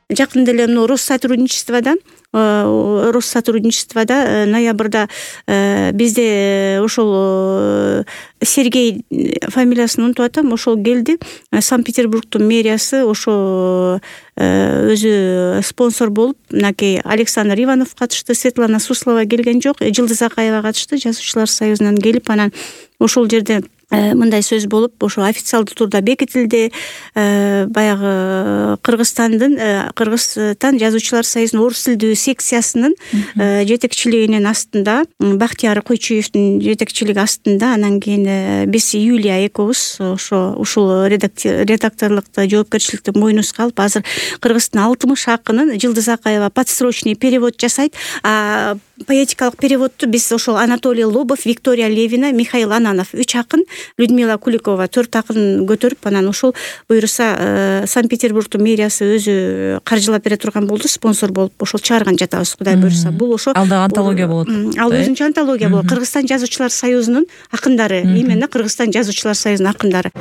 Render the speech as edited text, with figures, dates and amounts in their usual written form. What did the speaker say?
жакында эле мына Россотрудничествода ноябрда бизде ошол Сергей фамилиясын унутуп атам, ошол келди. Санкт-Петербургдун мэриясы ошо өзү спонсор болуп, мынакей Александр Иванов катышты, Светлана Суслова келген жок, Жылдыз Акаева катышты, Жазуучулар союзунан келип, анан ошол жерде мындай сөз болуп, ошо официалдуу турда бекитилди. Баягы Кыргызстан Жазуучулар союзунун орус тилдүү секциясынын жетекчилигинин астында, Бактияр Койчуевдин жетекчилиги астында, анан кийин биз Юлия экөөбүз ушул редакторлукту жоопкерчиликти мойнубузга алып, азыр Кыргыздын 60 акынын Жылдыз Акаева подсрочный перевод жасайт. Поэтикалык переводту биз ошол Анатолий Лобов, Виктория Левина, Михаил Ананов 3 акын, Людмила Куликова 4 акын көтөрүп, анан ошол буюрса Санкт-Петербургдун мэриясы өзү каржылап бере турган болду, спонсор болуп ошол чыгарган жатабыз, Кудай буюрса. Бул ошо ал да антология болот. Ал өзүнчө антология болот. Кыргызстан Жазуучулар союзунун акындары, именно Кыргызстан Жазуучулар союзунун акындары.